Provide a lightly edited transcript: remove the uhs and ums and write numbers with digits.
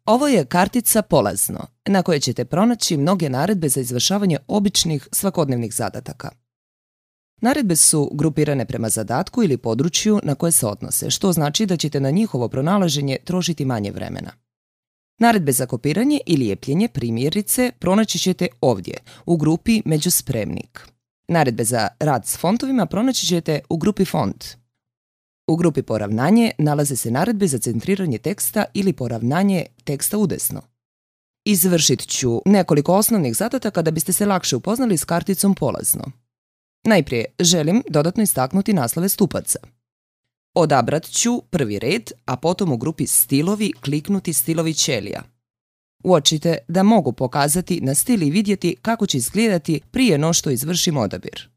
Ovo je kartica Polazno, na kojoj ćete pronaći mnoge naredbe za izvršavanje običnih svakodnevnih zadataka. Naredbe su grupirane prema zadatku ili području na koje se odnose, što znači da ćete na njihovo pronalaženje trošiti manje vremena. Naredbe za kopiranje ili ljepljenje, primjerice, pronaći ćete ovdje, u grupi Međuspremnik. Naredbe za rad s fontovima pronaći ćete u grupi Font. U grupi Poravnanje nalaze se naredbe za centriranje teksta ili poravnanje teksta udesno. Izvršit ću nekoliko osnovnih zadataka da biste se lakše upoznali s karticom Polazno. Najprije želim dodatno istaknuti naslove stupaca. Odabrat ću prvi red, a potom u grupi Stilovi kliknuti Stilovi ćelija. Uočite da mogu pokazati na stil i vidjeti kako će izgledati prije no što izvršim odabir.